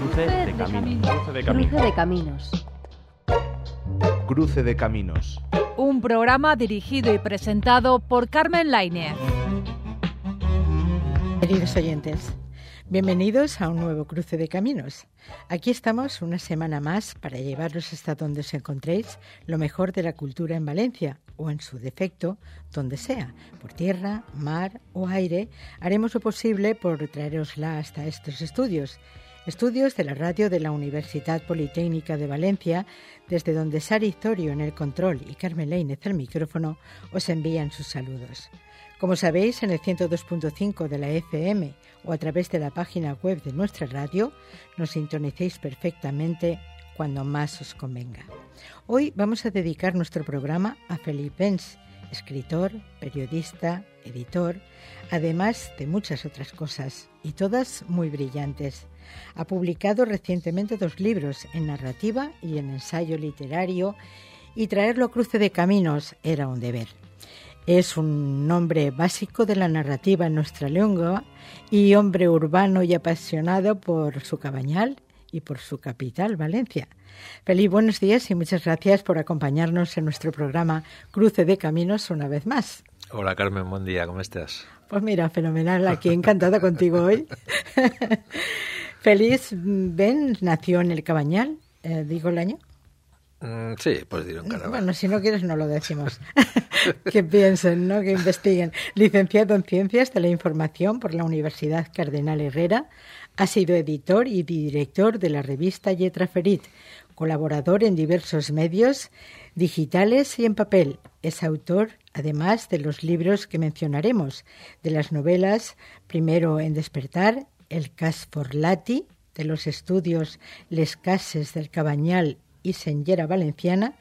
Cruce de caminos. Cruce de caminos. Cruce de caminos. Un programa dirigido y presentado por Carmen Lainez. Queridos oyentes, bienvenidos a un nuevo Cruce de Caminos. Aquí estamos una semana más para llevaros hasta donde os encontréis lo mejor de la cultura en Valencia, o en su defecto, donde sea, por tierra, mar o aire. Haremos lo posible por traerosla hasta estos estudios de la radio de la Universidad Politécnica de Valencia, desde donde Sari Zorio en el control y Carmen Lainez al micrófono os envían sus saludos. Como sabéis, en el 102.5 de la FM o a través de la página web de nuestra radio, nos sintonicéis perfectamente cuando más os convenga. Hoy vamos a dedicar nuestro programa a Felip Bens, escritor, periodista, editor, además de muchas otras cosas, y todas muy brillantes. Ha publicado recientemente 2 libros, en narrativa y en ensayo literario, y traerlo a Cruce de Caminos era un deber. Es un nombre básico de la narrativa en nuestra lengua y hombre urbano y apasionado por su Cabañal y por su capital, Valencia. Felip, buenos días y muchas gracias por acompañarnos en nuestro programa Cruce de Caminos una vez más. Hola Carmen, buen día, ¿cómo estás? Pues mira, fenomenal, aquí encantada contigo hoy. Felip Bens nació en el Cabañal, ¿digo el año? Sí, puedes decirlo en Caravana. Bueno, si no quieres no lo decimos. Que piensen, ¿no? Que investiguen. Licenciado en Ciencias de la Información por la Universidad Cardenal Herrera, ha sido editor y director de la revista Lletra Ferit, colaborador en diversos medios digitales y en papel. Es autor, además, de los libros que mencionaremos, de las novelas Primero en despertar, El cas Forlati, de los estudios Les cases del Cabanyal y Senyera Valenciana,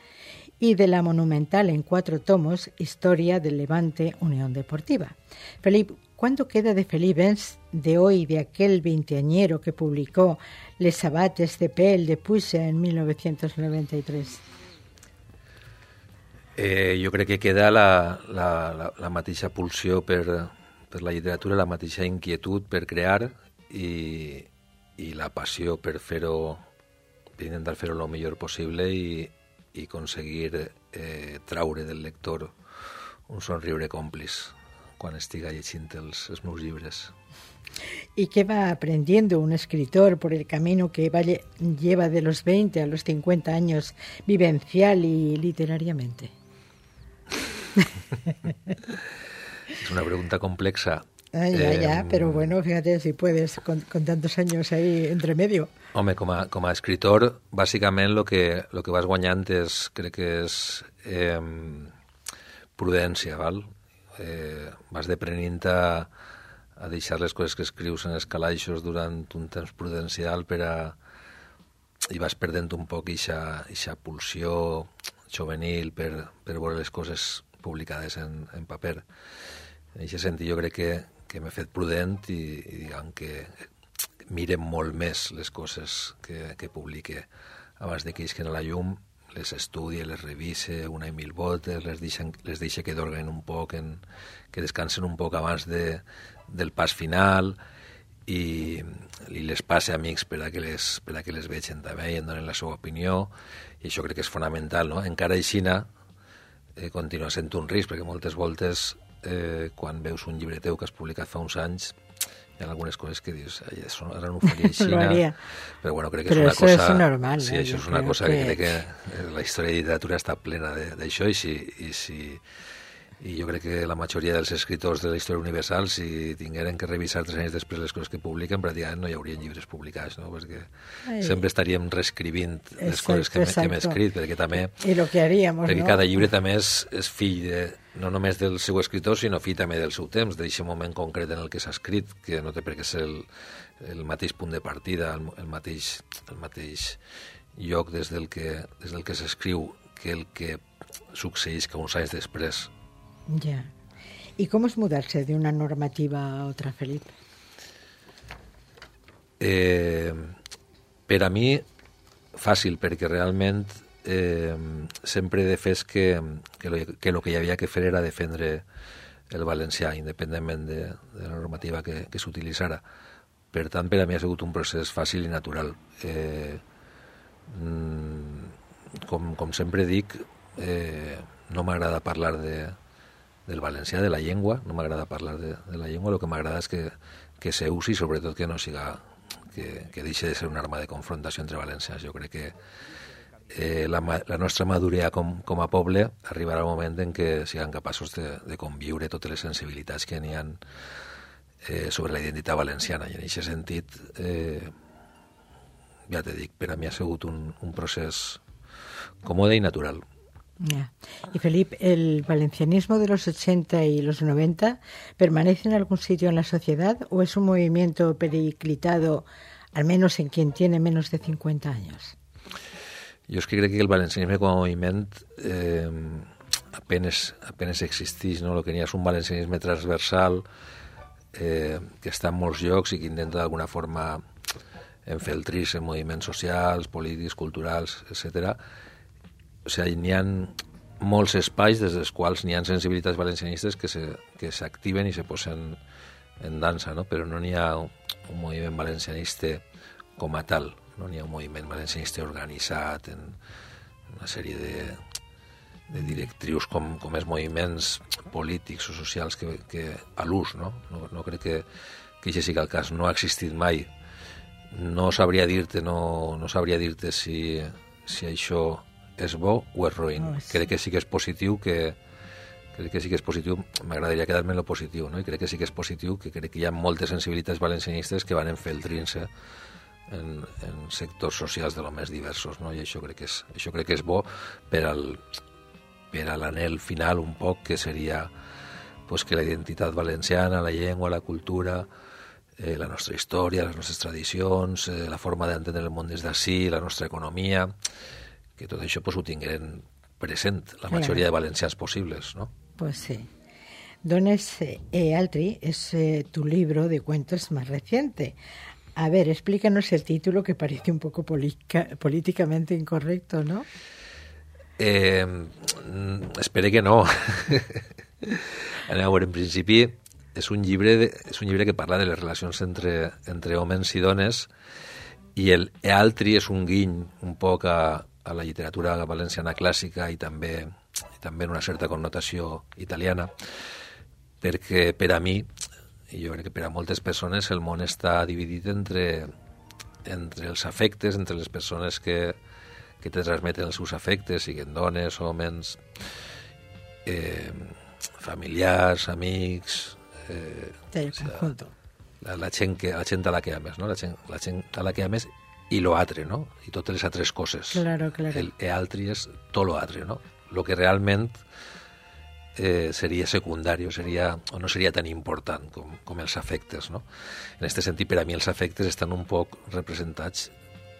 y de la monumental en 4 tomos Historia del Levante Unión Deportiva. Felip, ¿cuánto queda de Felip Bens de hoy, de aquel veinteañero que publicó Les sabates de pèl de Puig en 1993? Jo crec que queda la mateixa pulsió per la literatura, la mateixa inquietud per crear i la passió per fer-ho, per intentar fer-ho el millor possible i aconseguir traure del lector un somriure còmplice quan estiga llegint els meus llibres. ¿Y qué va aprendiendo un escritor por el camino que lleva de los 20 a los 50 años vivencial y literariamente? Es una pregunta complexa. Ya, pero bueno, fíjate si puedes, con tantos años ahí entre medio. Home, com a escritor, bàsicament el que vas guanyant crec que és prudència, val? Vas deprenent a deixar les coses que escrius en els calaixos durant un temps prudencial i vas perdent un poc eixa pulsió juvenil per veure les coses publicades en paper. En aquest sentit jo crec que m'he fet prudent i diguem que mire molt més les coses que publique abans de que isquen a la llum, les estudie, les revise una i mil voltes, les deixe que dorguen un poc, que descansen un poc abans del pas final i les passe a amics per a que les vegin també i en donen la seva opinió, i això crec que és fonamental, no? Encara aixina continua sent un risc, perquè moltes voltes quan veus un llibre teu que has publicat fa uns anys hi ha algunes coses que dius ara no ho faria així, però bueno, crec que és una cosa... Però això és normal. Sí, això és una cosa que crec que la història de literatura està plena d'això i jo crec que la majoria dels escriptors de la història universal, si tingueren que revisar 3 anys després les coses que publiquen, pràcticament no hi haurien llibres publicats, no? Perquè sempre estaríem reescrivint les coses que hem escrit, perquè també... I lo que haríamos, perquè no? cada llibre també és fill no només del seu escritor, sinó fill també del seu temps, d'aquest moment concret en el que s'ha escrit, que no té per què ser el mateix punt de partida, el mateix lloc des del que s'escriu que el que succeeix que uns anys després. Ya. ¿Y cómo es mudarse de una normativa a otra, Felip? Per a mi, fàcil, perquè realment sempre he defès que el que hi havia que fer era defendre el valencià, independentment de la normativa que s'utilitzara. Per tant, per a mi ha sigut un procés fàcil i natural. Com sempre dic, no m'agrada parlar del valencià, de la llengua, no m'agrada parlar de la llengua, el que m'agrada és que se usi, sobretot que no siga, que deixi de ser una arma de confrontació entre valencians. Jo crec que la nostra maduria com a poble arribarà el moment en què siguem capaços de conviure totes les sensibilitats que n'hi ha sobre la identitat valenciana. I en aquest sentit, ja te dic, per a mi ha sigut un procés còmode i natural. Yeah. Y Felip, ¿el valencianismo de los 80 y los 90 permanece en algún sitio en la sociedad o es un movimiento periclitado, al menos en quien tiene menos de 50 años? Jo és que crec que el valencianisme com a moviment apenes existeix, no? El que n'hi ha és un valencianisme transversal que està en molts llocs i que intenta d'alguna forma enfeltrir-se en moviments socials, polítics, culturals, etc. O sigui, n'hi ha molts espais des dels quals n'hi ha sensibilitats valencianistes que s'activen i se posen en dansa, no? Però no n'hi ha un moviment valencianista com a tal, no n'hi ha un moviment valencianista organitzat en una sèrie de directrius com els moviments polítics o socials que a l'ús, no? No crec que això sigui el cas, no ha existit mai. No sabria dir-te si això és bo o és roïn. Crec que sí que és positiu, m'agradaria quedar-me en lo positiu, no? I crec que sí que és positiu, que crec que hi ha moltes sensibilitats valencianistes que van enfeltrint-se en sectors socials de lo més diversos, no? I això crec que és bo per a l'anhel final un poc, que seria pues, que la identitat valenciana, la llengua, la cultura, la nostra història, les nostres tradicions, la forma d'entendre el món des d'ací, la nostra economia, que tot això pues, ho tingueren present la majoria de valencians possibles, ¿no? Pues sí. Dones e Altri es tu libro de cuentos más reciente. A ver, explícanos el título, que parece un poco políticamente incorrecto, ¿no? Espero que no. A veure, en principi és un llibre que parla de les relacions entre homes i dones, i el Altri és un guiny un poc a la literatura valenciana clàssica i també en una certa connotació italiana, perquè per a mi, i jo crec que per a moltes persones, el món està dividit entre els afectes, entre les persones que te transmeten els seus afectes, siguin dones, homes, familiars, amics, la gent a la que ames, no? La gent a la que ames i lo altre, no? I totes les altres coses. Claro. El altri és tot lo altre, no? Lo que realment seria secundari o no seria tan important com els afectes, no? En aquest sentit, per a mi els afectes estan un poc representats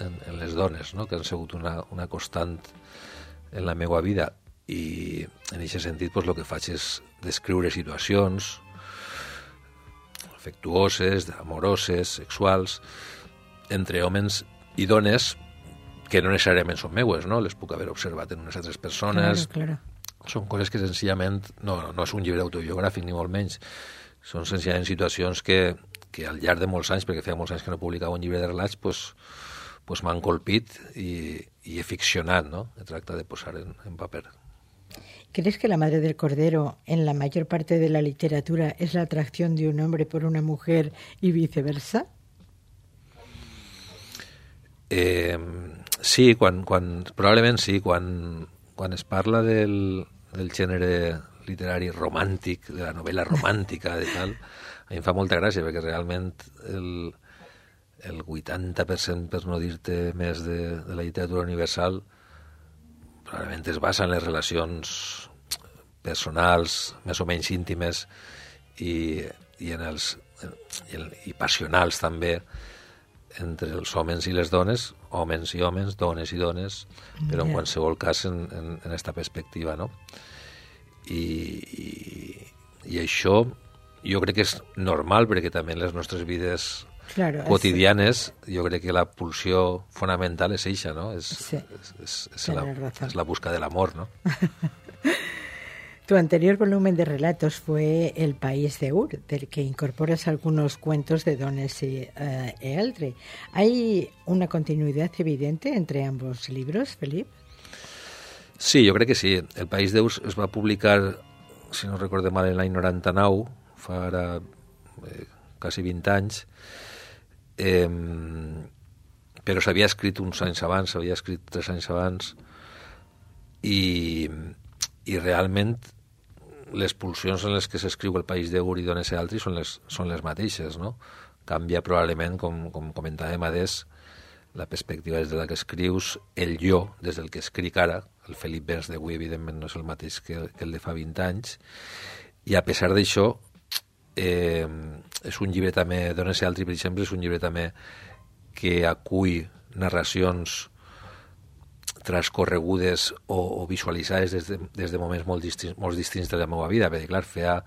en les dones, no? Que han sigut una constant en la meva vida, i en aquest sentit pues, el que faig és descriure situacions afectuoses, amoroses, sexuals, entre homes i dones que no necessàriament són meues, no? Les puc haver observat en unes altres persones. Claro. Són coses que senzillament no és un llibre autobiogràfic, ni molt menys. Són senzillament situacions que al llarg de molts anys, perquè feia molts anys que no publicava un llibre de relats, pues m'han colpit i he ficcionat, no? He tractat de posar en paper. ¿Crees que La madre del cordero en la mayor parte de la literatura es la atracción de un hombre por una mujer y viceversa? Sí, probablement sí, quan es parla del gènere literari romàntic, de la novel·la romàntica, de tal, a mi em fa molta gràcia, perquè realment el 80%, per no dir-te més, de la literatura universal probablement es basa en les relacions personals, més o menys íntimes, i passionals també, entre els homes i les dones, homes i homes, dones i dones, però en qualsevol cas en esta perspectiva, no? I això jo crec que és normal, perquè també en les nostres vides quotidianes jo crec que la pulsió fonamental és eixa, no? És la busca de l'amor, no? Tu anterior volumen de relatos fue El país de Ur, del que incorporas algunos cuentos de Donés Ealdri. ¿Hay una continuidad evidente entre ambos libros, Felip? Sí, jo crec que sí. El país de Ur es va publicar, si no recordo mal, en l'any 99, fa ara quasi 20 anys, però s'havia escrit uns anys abans, s'havia escrit 3 anys abans, i realment les pulsions en les que s'escriu El país de Ur i Donés Ealdri són les mateixes, no? Canvia probablement, com comentàvem adés, la perspectiva des de la que escrius, el jo des del que escric ara, el Felip Bens d'avui evidentment no és el mateix que el de fa 20 anys, i a pesar d'això és un llibre també, Donés Ealdri per exemple, és un llibre també que acull narracions transcorregudes o visualitzades des de moments molt distints de la meva vida, perquè clar, feia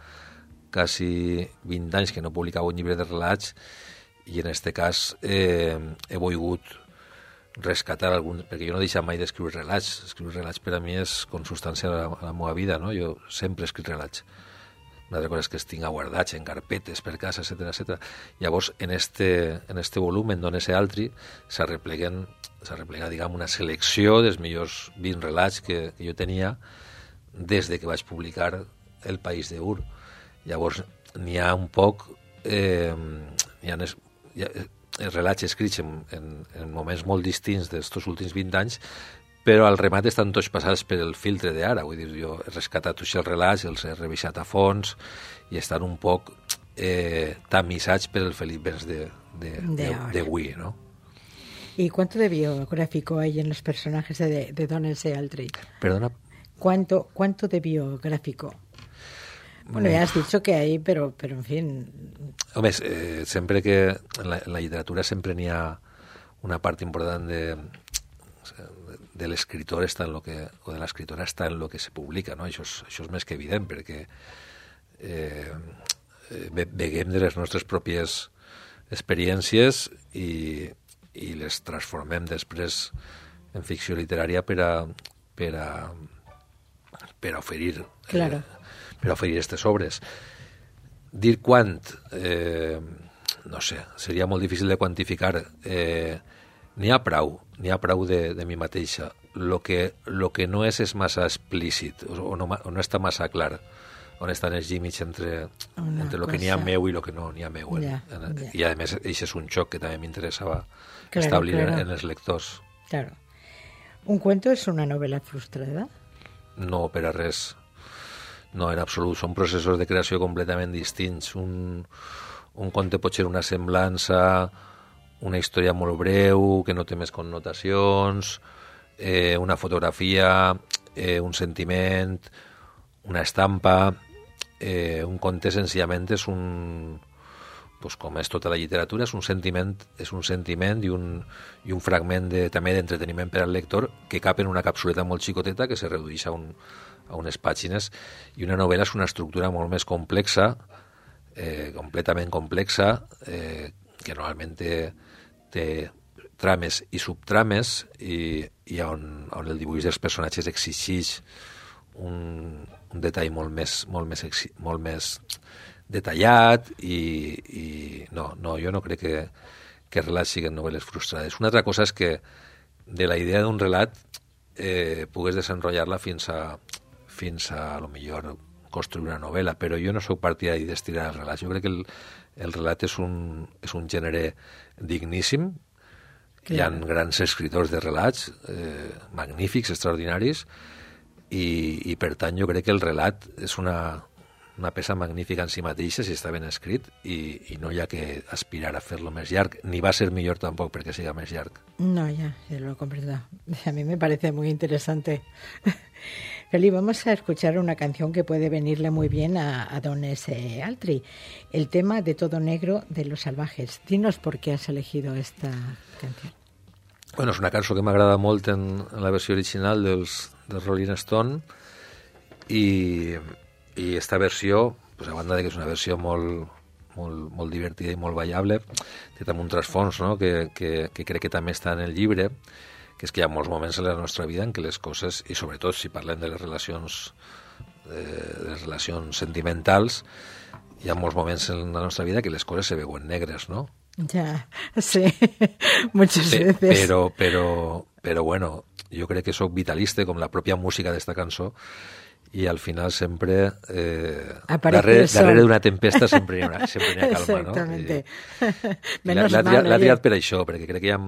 quasi 20 anys que no publicava un llibre de relats, i en aquest cas he volgut rescatar algun, perquè jo no he deixat mai d'escriure relats. Escriure relats per a mi és consubstancial a la meva vida, no? Jo sempre he escrit relats. Una altra cosa és que els tinc guardats en carpetes per casa, etc. Llavors, en este volum, en Donés Ealdri, s'arreplega, diguem, una selecció dels millors 20 relats que jo tenia des de que vaig publicar El país de Ur. Llavors, n'hi ha un poc... hi ha relats escrits en moments molt distints d'estos últims 20 anys, però al remat estan tots passats per el filtre d'ara. Vull dir, jo he rescatat tots els relats, els he revisat a fons i estan un poc tamisats per el Felip Bens d'avui, ¿no? ¿Y cuánto de biográfico hay en los personajes de Donés Ealdri? Perdona. ¿Cuánto de biográfico? Bueno, ya has dicho que hay, pero en fin... Home, sempre que en la literatura sempre n'hi ha una part important de l'escriptor està en lo que, o de l'escriptora està en lo que se publica, no? Això és més que evident, perquè beguem de les nostres pròpies experiències i les transformem després en ficció literària per a oferir... Claro. Per oferir aquestes obres. Dir quant, no sé, seria molt difícil de quantificar. N'hi ha prou de mi mateixa. Lo que no és massa explícit, o no està massa clar on estan els límits entre lo que n'hi ha meu i lo que no n'hi ha meu. I a més, això és un xoc que també m'interessava establir en els lectors. Claro. ¿Un cuento es una novela frustrada? No, per a res. No, en absolut. Són processos de creació completament distints. Un conte pot ser una semblança, una història molt breu, que no té més connotacions, una fotografia, un sentiment, una estampa. Un conte senzillament és pues, com és tota la literatura, és un sentiment i un fragment també d'entreteniment per al lector que cap en una capsuleta molt xicoteta que se redueix a unes pàgines, i una novel·la és una estructura molt més complexa, completament complexa, que normalment té trames i subtrames i on el dibuix dels personatges exigeix un detall molt més detallat i no, jo no crec que relats siguin novel·les frustrades. Una altra cosa és que de la idea d'un relat pugues desenrotllar-la fins a lo millor construir una novel·la, però jo no sóc partidari d'estirar els relats. Jo crec que el relat és un gènere digníssim. Hi ha grans escriptors de relats, magnífics, extraordinaris, i per tant jo crec que el relat és una peça magnífica en si mateixa si està ben escrit i no hi ha que aspirar a fer-lo més llarg, ni va ser millor tampoc perquè siga més llarg. No, ya lo comprendo. A mí me parece muy interesante. Feli, vamos a escuchar una canción que puede venirle muy bien a Donés Ealdri, el tema de Todo Negro de Los Salvajes. Dinos por qué has elegido esta canción. Bueno, és una cançó que m'agrada molt en la versió original dels Rolling Stone i esta versió, pues, a banda de que és una versió molt divertida i molt ballable, té també un trasfons, no? que crec que també està en el llibre, que és que hi ha molts moments en la nostra vida en què les coses, i sobretot si parlem de les relacions de les relacions sentimentals, hi ha molts moments en la nostra vida que les coses se veuen negres, ¿no? Ya, sí, muchas veces. Però bueno, jo crec que sóc vitalista, com la pròpia música d'esta cançó, i al final sempre darrere d'una tempesta sempre hi ha calma, Exactamente. no? L'ha triat per això, perquè crec que hi ha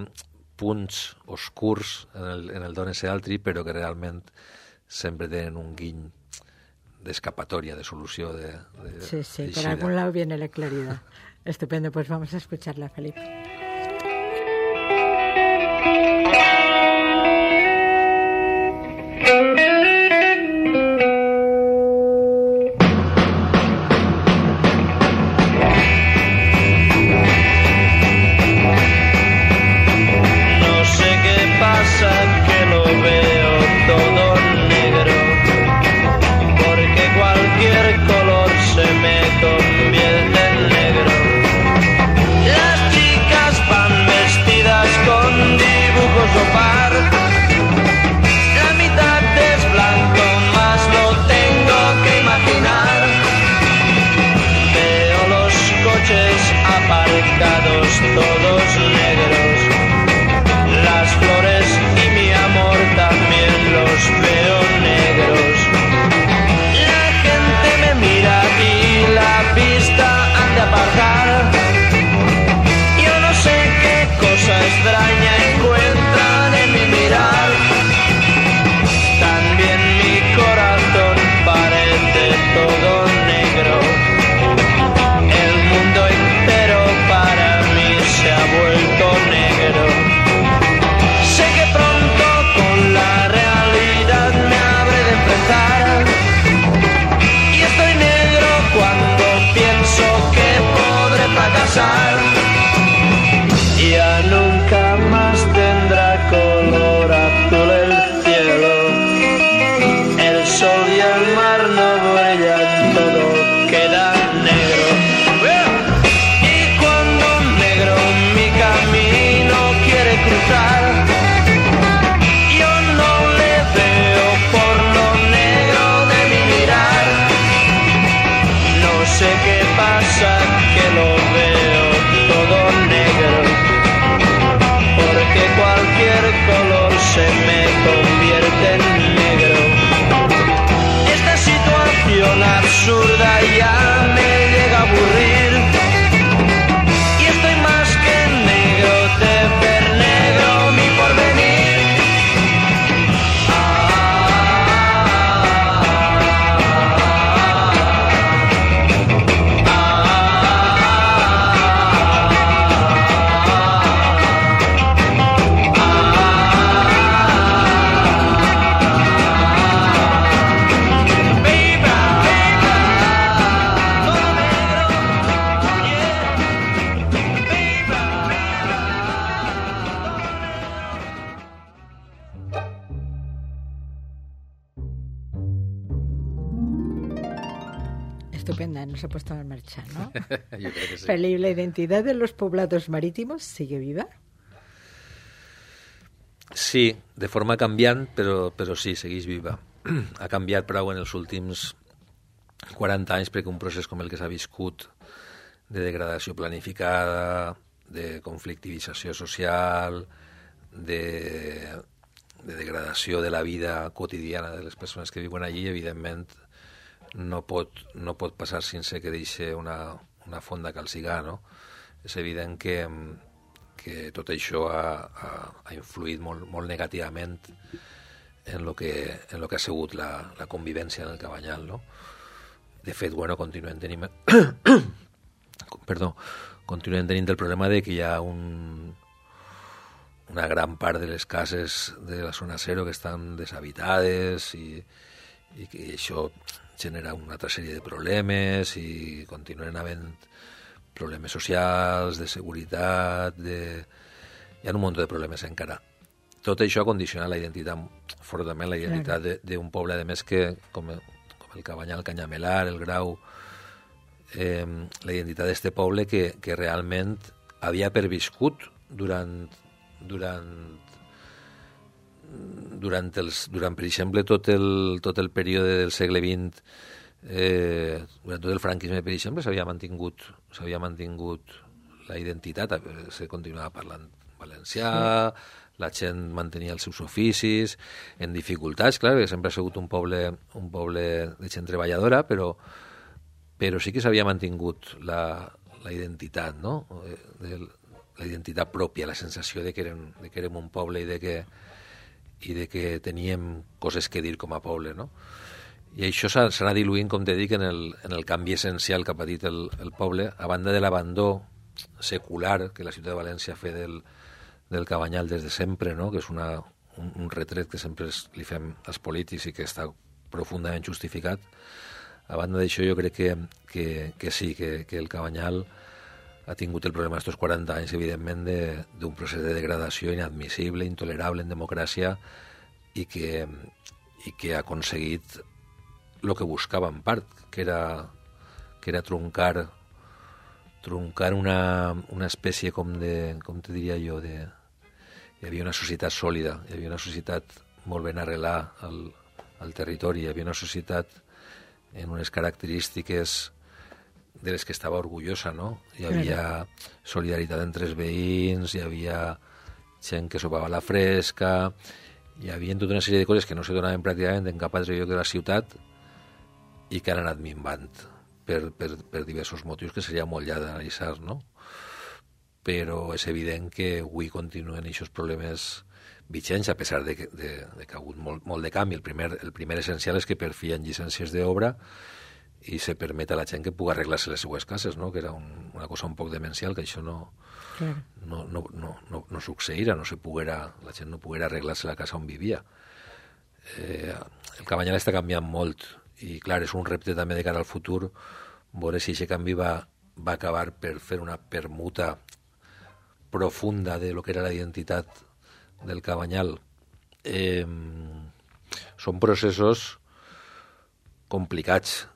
punts oscurs en el Done se altri, però que realment sempre tenen un guiny d'escapatoria, de solució. Sí, por algún lado viene la claridad. Estupendo, pues vamos a escucharla, Felipe. Todos negros, las flores y mi amor también los veo negros. La gente me mira y la vista han de apartar. Yo no sé qué cosa extraña encuentran en mi mirar. También mi corazón parece todo negro. El mundo entero para mí se ha vuelto negro. Sé que pronto con la realidad me habré de enfrentar. Y estoy negro cuando pienso que podré fracasar. Ya nunca más tendrá color azul el cielo. El sol y el mar no brillan, todo queda negro. Cruzar. Yo no le veo por lo negro de mi mirar. No sé qué pasa, que lo veo todo negro. Porque cualquier color se me convierte en negro. Esta situación absurda ya me llega a aburrir. Y estoy más que negro de ver negro mi porvenir. Estupenda, nos ha puesto en marcha, ¿no? Yo creo que sí. Felipe, ¿la identidad de los poblados marítimos sigue viva? Sí, de forma canviant, però sí, segueix viva. Ha canviat prou en els últims 40 anys perquè un procés com el que s'ha viscut de degradació planificada, de conflictivització social, de degradació de la vida quotidiana de les persones que viuen allí, evidentment no pot passar sense que deixi una fonda calcigar, no? És evident que tot això ha influït molt negativament en lo que ha sigut la convivència en el Cabanyal, no? De fet, bueno, continuem tenint el problema de que hi ha una gran part de les cases de la zona zero que estan deshabitades i que això genera una altra sèrie de problemes i continuen havent problemes socials, de seguretat, hi ha un munt de problemes encara. Tot això ha condicionat la identitat, fortament la identitat d'un poble, a més que, com el Cabanyal, el Canyamelar, el Grau, la identitat d'este poble que realment havia perviscut durant durant, per exemple, tot el període del segle XX, durant tot el franquisme, per exemple, s'havia mantingut la identitat, se continuava parlant valencià, la gent mantenia els seus oficis, en dificultats, clar, que sempre ha sigut un poble de gent treballadora, però sí que s'havia mantingut la identitat, no? La identitat pròpia, la sensació de que érem un poble i de que teníem coses que dir com a poble, no? I això s'ha anat diluint, com te dic, en el canvi essencial que ha patit el poble, a banda de l'abandó secular que la ciutat de València ha fet del Cabanyal des de sempre, no? Que és un retret que sempre li fem als polítics i que està profundament justificat. A banda d'això, jo crec que sí, que el Cabanyal ha tingut el problema d'aquests 40 anys, evidentment, d'un procés de degradació inadmissible, intolerable en democràcia i que ha aconseguit el que buscava en part, que era truncar una espècie com te diria jo, hi havia una societat sòlida, hi havia una societat molt ben arrelada al territori, hi havia una societat en unes característiques de les que estava orgullosa, no? Hi havia solidaritat entre els veïns, hi havia gent que sopava a la fresca, hi havia tota una sèrie de coses que no se donaven pràcticament en cap altre lloc de la ciutat i que han anat minvant per diversos motius que seria molt llarg d'analitzar, no? Però és evident que avui continuen aquests problemes vigents, a pesar de que ha hagut molt de canvi. El primer essencial és que per fi hi ha llicències d'obra i se permet a la gent que pugui arreglar-se les seues cases, no? Que era una cosa un poc demencial, que això no succeïra, la gent no poguera arreglar-se la casa on vivia. El Cabanyal està canviant molt i, clar, és un repte també de cara al futur veure si aquest canvi va acabar per fer una permuta profunda de lo que era la identitat del Cabanyal. Són processos complicats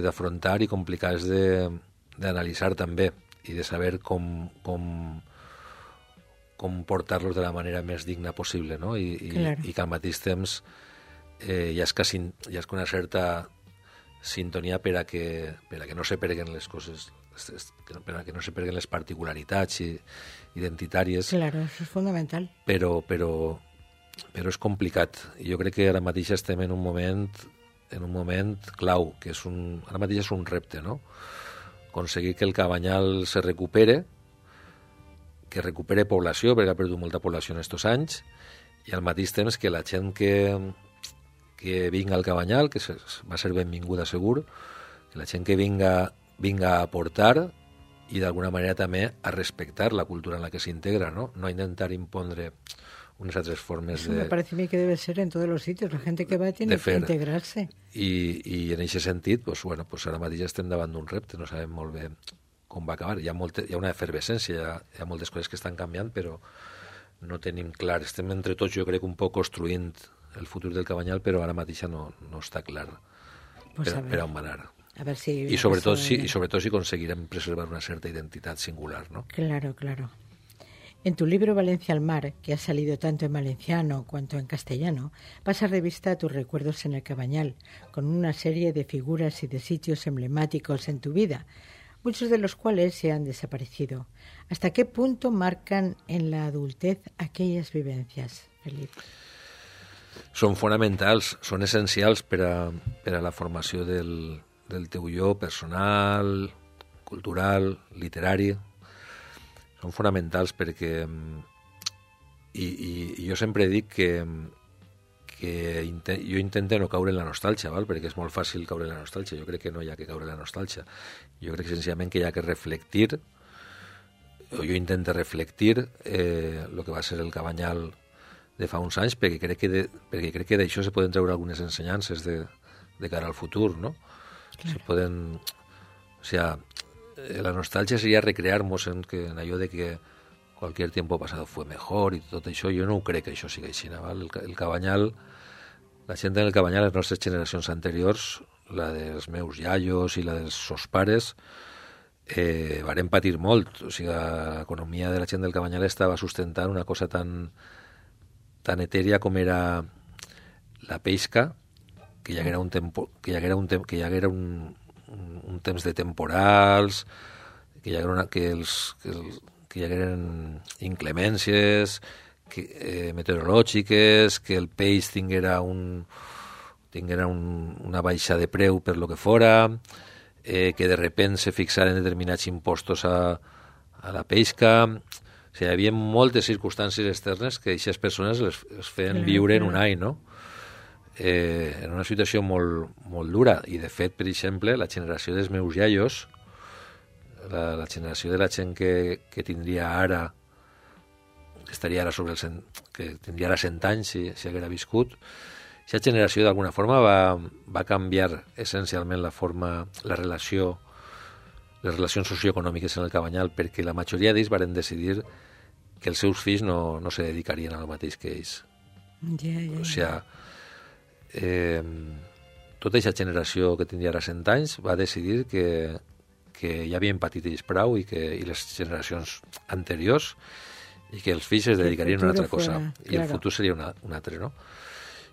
d'afrontar i complicats d'analitzar també i de saber com portar-los de la manera més digna possible, no? I que al mateix temps hi ha una certa sintonia per a que no se perguen les coses, per a que no se perguen les particularitats identitàries. Claro, això és fonamental. Però és complicat. Jo crec que ara mateix estem en un moment clau, que ara mateix és un repte, no? Aconseguir que el Cabanyal se recupere, que recupere població, perquè ha perdut molta població en aquests anys, i al mateix temps que la gent que vinga al Cabanyal, que va ser benvinguda segur, que la gent que vinga a aportar i d'alguna manera també a respectar la cultura en la que s'integra, ¿no? No intentar impondre unas otras formas Eso me parece a mí que debe ser en todos los sitios. La gente que va tiene que integrarse. I en aquest sentit, pues ara mateix estem davant d'un repte, no sabem molt bé com va acabar. Hi ha una efervescència, hi ha moltes coses que estan canviant, però no tenim clar. Estem entre tots, jo crec, un poc construint el futur del Cabanyal, però ara mateix no està clar per on va anar. A ver si y sobre todo si conseguirem preservar una cierta identidad singular, ¿no? Claro. En tu libro Valencia al mar, que ha salido tanto en valenciano cuanto en castellano, pasas revista a tus recuerdos en el Cabanyal, con una serie de figuras y de sitios emblemáticos en tu vida, muchos de los cuales se han desaparecido. ¿Hasta qué punto marcan en la adultez aquellas vivencias, Felipe? Són fonamentals, són essencials per a la formació del teu jo personal, cultural, literari. Són fonamentals perquè i jo sempre dic que jo intento no caure en la nostàlgia, val? Perquè és molt fàcil caure en la nostàlgia. Jo crec que no hi ha que caure en la nostàlgia. Jo crec senzillament que hi ha que reflectir, o jo intento reflectir el que va ser el Cabanyal de fa uns anys, perquè crec que d'això se poden treure algunes ensenyances de cara al futur, no? Claro. Se poden... O sea, la nostàlgia seria recrear-nos en allò de que cualquier tiempo pasado fue mejor i tot això. Jo no ho crec que això sigui així, val? El Cabanyal, la gent del Cabanyal, les nostres generacions anteriors, la dels meus iaios i la dels sos pares, varen patir molt. O sigui, l'economia de la gent del Cabanyal estava sustentant una cosa tan tan etèria com era la pesca, que hi haguera un temps de temporals, que hi hagueren inclemències meteorològiques, que el peix tinguera una baixa de preu per lo que fora, que de repent se fixaren determinats impostos a la pesca. O sigui, hi havia moltes circumstàncies externes que aquestes persones les feien viure en un any, no? En una situació molt, molt dura. I, de fet, per exemple, la generació dels meus iaios, la generació de la gent que tindria ara, que estaria ara que tindria ara 100 anys si haguera viscut, aquesta generació d'alguna forma va canviar essencialment les relacions socioeconòmiques en el Cabanyal, perquè la majoria d'ells varen decidir que els seus fills no se dedicarien al mateix que ells. O sigui, tota aquesta generació que tindria ara 100 anys va decidir que ja havien patit ells prou i les generacions anteriors, i que els fills es dedicarien a una altra cosa, i el futur seria un altre, no?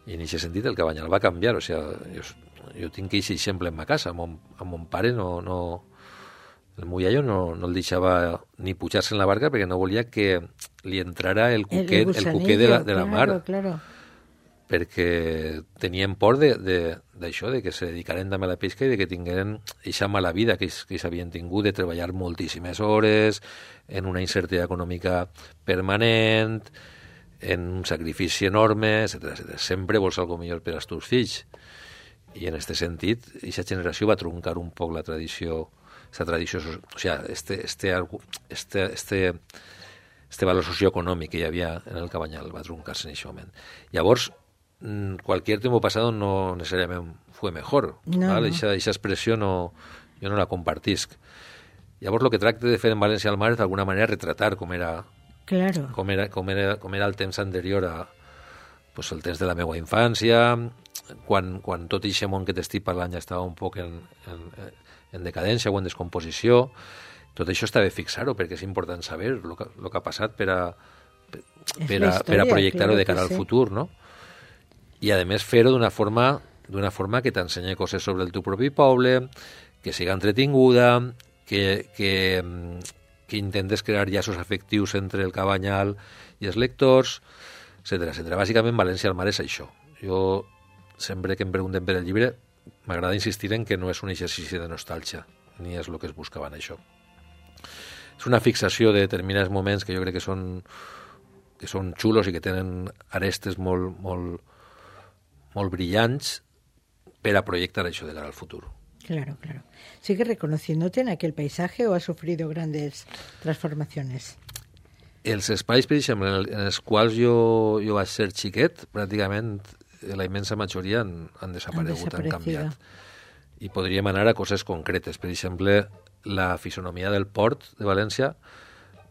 I en aquest sentit el Cabanyal va canviar. O sigui, jo tinc aquest exemple en ma casa. Amb mon pare el meu iaio no el deixava ni pujar-se en la barca perquè no volia que li entrara el cuquet de la mar. Claro. Perquè tenien por d'això, de que se dedicaren també a la pesca i de que tingueren aquesta mala vida que ells havien tingut, de treballar moltíssimes hores, en una incertesa econòmica permanent, en un sacrifici enorme, etc. Sempre vols algo millor per als teus fills. I en aquest sentit, aquesta generació va truncar un poc la tradició, o sigui, este valor socioeconòmic que hi havia en el Cabanyal va truncar-se en aquest moment. Llavors, cualquier tiempo pasado no necesariamente fue mejor. Esa expressió jo no la compartisc. Llavors, el que tracte de fer en València al Mar és d'alguna manera retratar com era el temps anterior el temps de la meva infància, quan tot aquest món que t'estic parlant ja estava un poc en decadència o en descomposició. Tot això està bé fixar-ho, perquè és important saber el que ha passat per a projectar-ho de cara al futur, no? I, a més, fer-ho d'una forma que t'ensenya coses sobre el teu propi poble, que siga entretinguda, que intentes crear llaços afectius entre el Cabanyal i els lectors, etc. Bàsicament, València al Mar és això. Jo, sempre que em pregunten per el llibre, m'agrada insistir en que no és un exercici de nostàlgia, ni és el que es buscava en això. És una fixació de determinats moments que jo crec que són xulos i que tenen arestes molt brillants per a projectar això de cara al futur. Claro. ¿Sigue reconociéndote en aquel paisaje o ha sufrido grandes transformaciones? Els espais, per exemple, en els quals jo vaig ser xiquet, pràcticament la immensa majoria han desaparegut, han canviat. I podríem anar a coses concretes. Per exemple, la fisonomia del port de València,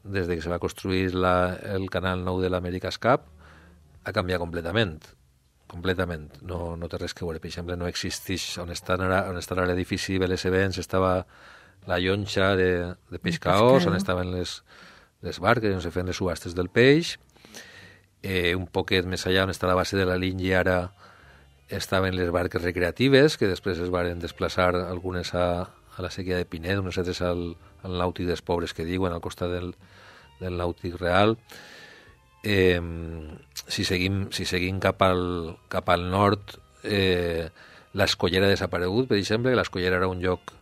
des que se va construir el canal nou de l'America's Cup, ha canviat completament. No té res que veure. Per exemple, no existeix on està ara l'edifici Vélez Events, estava la llonxa de pescaors, on estaven les barques, on se feien les subhastes del peix. Un poquet més allà, on està la base de la línia, ara estaven les barques recreatives, que després es varen desplaçar algunes a la sèquia de Pinet, unes altres al nàutic dels pobres que diuen, al costat del nàutic real. Si seguim cap al nord, l'Escollera ha desaparegut, per exemple. L'Escollera era un lloc,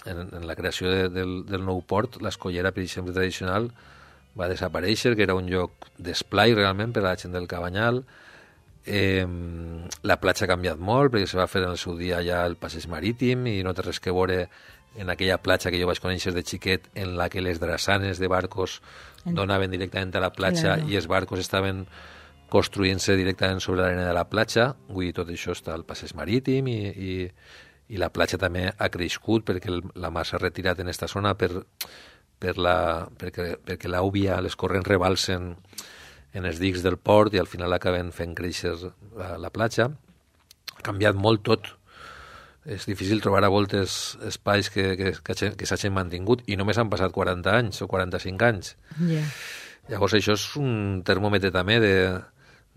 en la creació del nou port, l'Escollera, per exemple, tradicional, va desaparèixer, que era un lloc d'esplai realment per a la gent del Cabanyal. La platja ha canviat molt, perquè se va fer en el seu dia ja el passeig marítim i no té res que veure en aquella platja que jo vaig conèixer de xiquet, en la que les drassanes de barcos donaven directament a la platja, i els barcos estaven construint-se directament sobre l'arena de la platja. Vull dir, tot això està al passeig marítim i la platja també ha crescut perquè la mar s'ha retirat en aquesta zona perquè l'àubia, les corrents rebalsen en els dics del port i al final acaben fent créixer la platja. Ha canviat molt tot. És difícil trobar a voltes espais que s'hagin mantingut, i només han passat 40 anys o 45 anys. Llavors això és un termòmetre també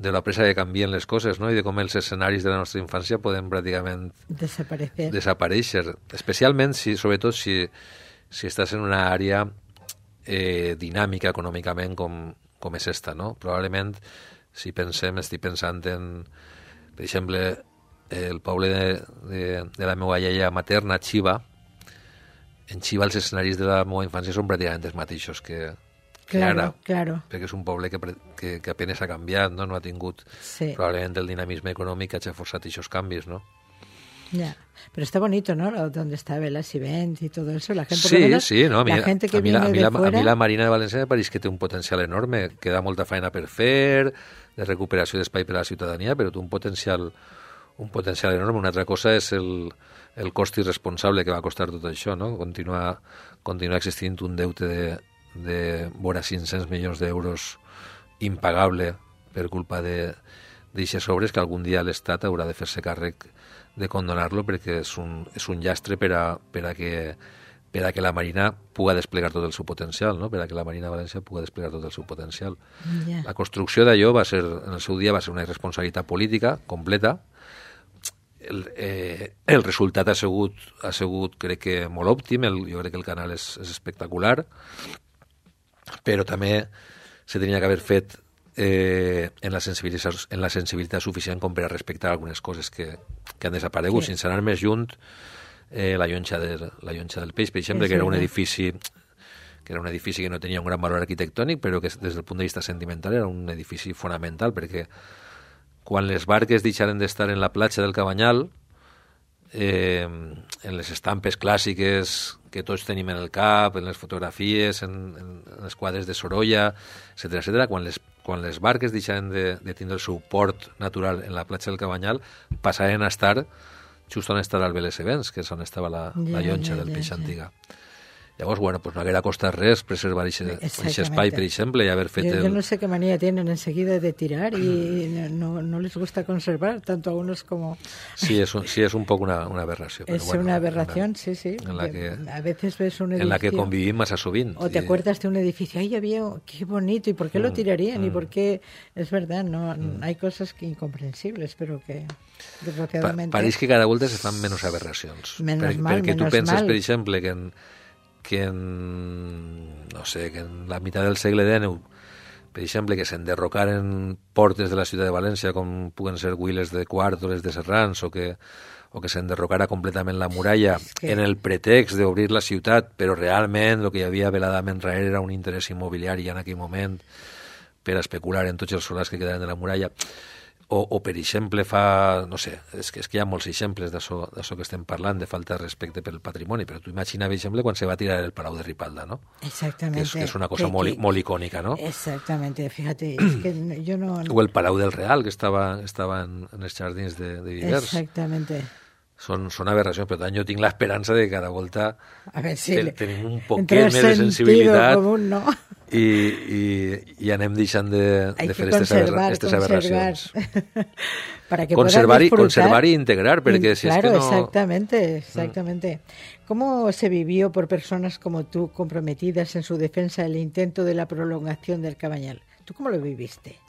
de la pressa que canvien les coses, no? I de com els escenaris de la nostra infància poden pràcticament desaparèixer. Especialment, sobretot, si estàs en una àrea dinàmica econòmicament com és esta, no? Probablement, si estic pensant en, per exemple, el poble de la meva iaia materna, Xiva. En Xiva els escenaris de la meva infància són pràcticament els mateixos que ara, perquè és un poble que apenas ha canviat, no ha tingut probablement el dinamisme econòmic que ha forçat aquests canvis, ¿no? Ya, pero está bonito, ¿no? Donde está Velas y Vent y todo eso. La gente, sí, no, la gente que viene de fuera... A mi la Marina de València me pareix que té un potencial enorme, queda molta feina per fer, de recuperació d'espai per a la ciutadania, però té un potencial enorme. Una altra cosa és el cost irresponsable que va costar tot això, no? Continua existint un deute de vora 500 milions d'euros impagable per culpa d'aixes obres que algun dia l'Estat haurà de fer-se càrrec de condonar-lo, perquè és un llastre per a que la Marina pugui desplegar tot el seu potencial, no? Per a que la Marina de València pugui desplegar tot el seu potencial. Yeah. La construcció d'allò en el seu dia va ser una irresponsabilitat política completa. El resultat ha sigut crec que molt òptim, jo crec que el canal és espectacular, però també se tenia que haver fet en la sensibilitat suficient com per a respectar algunes coses que han desaparegut, sense anar més junt. La llonxa del Peix, per exemple, que era un edifici que no tenia un gran valor arquitectònic, però que des del punt de vista sentimental era un edifici fonamental, perquè quan les barques deixaren d'estar en la platja del Cabanyal, en les estampes clàssiques que tots tenim en el cap, en les fotografies, en els quadres de Sorolla, etcètera, quan les barques deixaren de tindre el seu port natural en la platja del Cabanyal, passaren a estar just on està l'Albeles Events, que és on estava la llonxa del Peix antiga. Llavors, bueno, pues no haguera costat res preservar aquest espai, per exemple, y haber fet yo no sé qué manía tienen enseguida de tirar y no les gusta conservar, tanto a unos como... Sí, es un poco una aberración. Es bueno, una aberración, sí. En la que, a veces ves un edificio... En la que convivim massa sovint. O te acuerdas de un edificio, ahí había, qué bonito, ¿y por qué lo tirarían? ¿Y por qué? Es verdad, no hay cosas que incomprensibles, pero que desgraciadamente... Pareix que cada volta se fan menys aberracions. Perquè tu penses, per exemple, que en la meitat del segle XIX, per exemple, que s'enderrocaren portes de la ciutat de València com puguen ser Güiles de Quart o les de Serrans, o que s'enderrocara completament la muralla en el pretext d'obrir la ciutat, però realment el que hi havia veladament darrere era un interès immobiliari en aquell moment per a especular en tots els solars que quedaven de la muralla. O per exemple, és que hi ha molts exemples d'això que estem parlant, de falta de respecte pel patrimoni, però tu imagina, per exemple, quan se va tirar el Palau de Ripalda, ¿no? Exactamente. Que és una cosa molt icònica, ¿no? Exactamente, fíjate, es que yo no... O el Palau del Real, que estava en els jardins de Vivers. Exactamente. Són aberracions, però tant jo tinc l'esperança de que cada volta tenim un poquet més de sensibilitat común, ¿no? i anem deixant de fer aquestes aberracions. Para que conservar y integrar, porque si claro, es que no... Exactamente. ¿Cómo se vivió por personas como tú, comprometidas en su defensa el intento de la prolongación del Cabanyal? ¿Tú cómo lo viviste?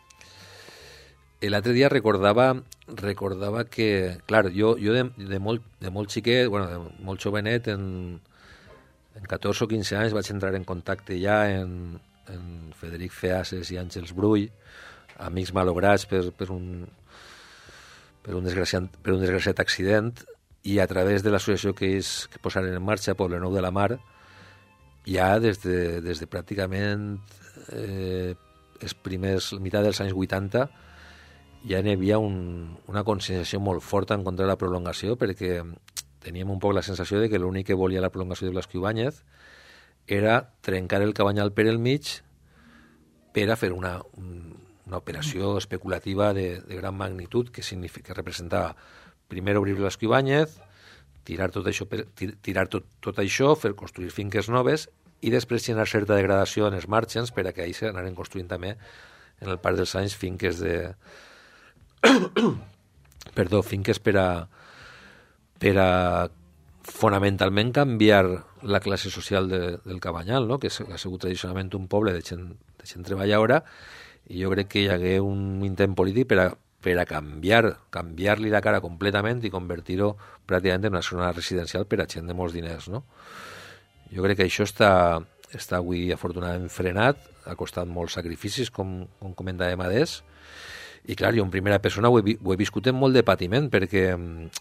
L'altre dia recordava que, clar, jo de molt xiquet, de molt jovenet, en 14 o 15 anys vaig entrar en contacte ja en Frederic Feases i Àngels Brull, amics malograts per un desgraciat accident, i a través de l'associació que ells posaren en marxa, Poblenou de la Mar, ja des de pràcticament meitat dels anys 80, ja hi havia una conscienciació molt forta en contra de la prolongació, perquè teníem un poc la sensació de que l'únic que volia la prolongació de Blasco Ibáñez era trencar el Cabanyal per el mig per a fer una operació especulativa de gran magnitud que representava primer obrir Blasco Ibáñez, tirar tot això, fer construir finques noves i després generar certa degradació en els margens per a que ahir s'anaren construint també en el Parc dels Anys finques finques per a fonamentalment canviar la classe social del Cabanyal, no? Que ha sigut tradicionalment un poble de gent treballadora, i jo crec que hi hagué un intent polític per a canviar-li la cara completament i convertir-ho pràcticament en una zona residencial per a gent de molts diners, no? Jo crec que això està avui afortunadament frenat, ha costat molts sacrificis, com comentàvem adés, i clar, jo en primera persona ho he viscut amb molt de patiment, perquè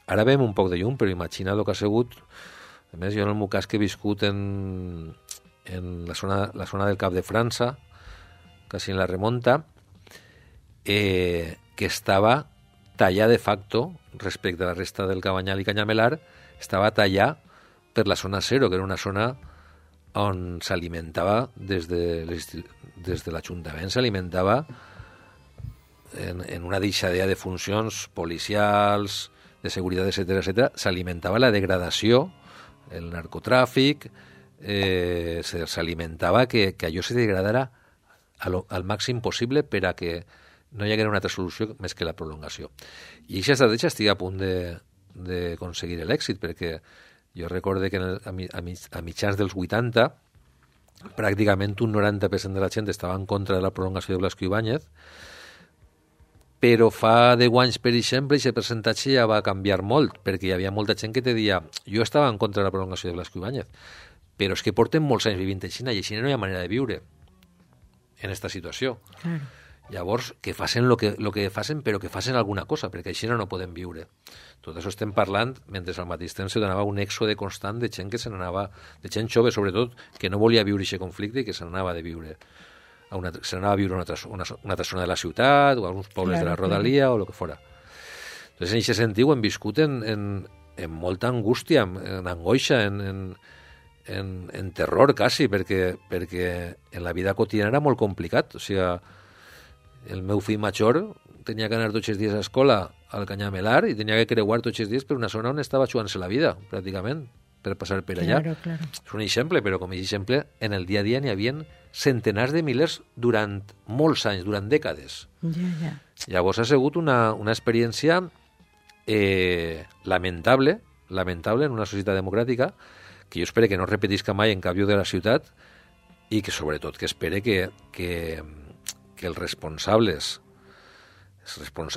ara veiem un poc de llum, però imagina el que ha sigut. A més, jo en el meu cas que he viscut en la zona del Cap de França, quasi en la remonta, que estava tallar de facto respecte a la resta del Cabanyal i Canyamelar, estava tallar per la zona zero, que era una zona on s'alimentava des de l'Ajuntament, s'alimentava en una deixadea de funcions policials, de seguretat, etc., s'alimentava la degradació, el narcotràfic, s'alimentava que allò se degradara al màxim possible per a que no hi haguera una altra solució més que la prolongació. I aquesta estratègia estigui a punt d'aconseguir l'èxit, perquè jo recorde que a mitjans dels 80 pràcticament un 90% de la gent estava en contra de la prolongació de Blasco Ibáñez, però fa 10 anys, per exemple, aquest percentatge ja va canviar molt, perquè hi havia molta gent que te deia jo estava en contra de la prolongació de Blasco Ibáñez, però és que porten molts anys vivint a Xina i a Xina no hi ha manera de viure en aquesta situació. Claro. Llavors, que facin lo que facin, però que facin alguna cosa, perquè a Xina no podem viure. Tot això estem parlant mentre al mateix temps se donava un èxode constant de gent que se n'anava, de gent jove sobretot, que no volia viure aquest conflicte i que se n'anava de viure. Se n'anava a viure a una altra zona de la ciutat o a uns pobles de la rodalia o el que fora. Entonces, en aquest sentit ho hem viscut en molta angústia, en angoixa, en terror quasi, perquè en la vida quotidiana era molt complicat. O sigui, el meu fill major tenia que anar tots els dies a escola al Canyamelar i tenia que creuar tots els dies per una zona on estava jugant-se la vida, pràcticament, per passar per allà. Claro. És un exemple, però com a exemple, en el dia a dia n'hi havia centenars de milers durant molts anys, durant dècades. Ja. Llavors ha sigut una experiència lamentable en una societat democràtica, que jo espero que no repetisca mai en cap lloc de la ciutat i que sobretot que espere que els responsables,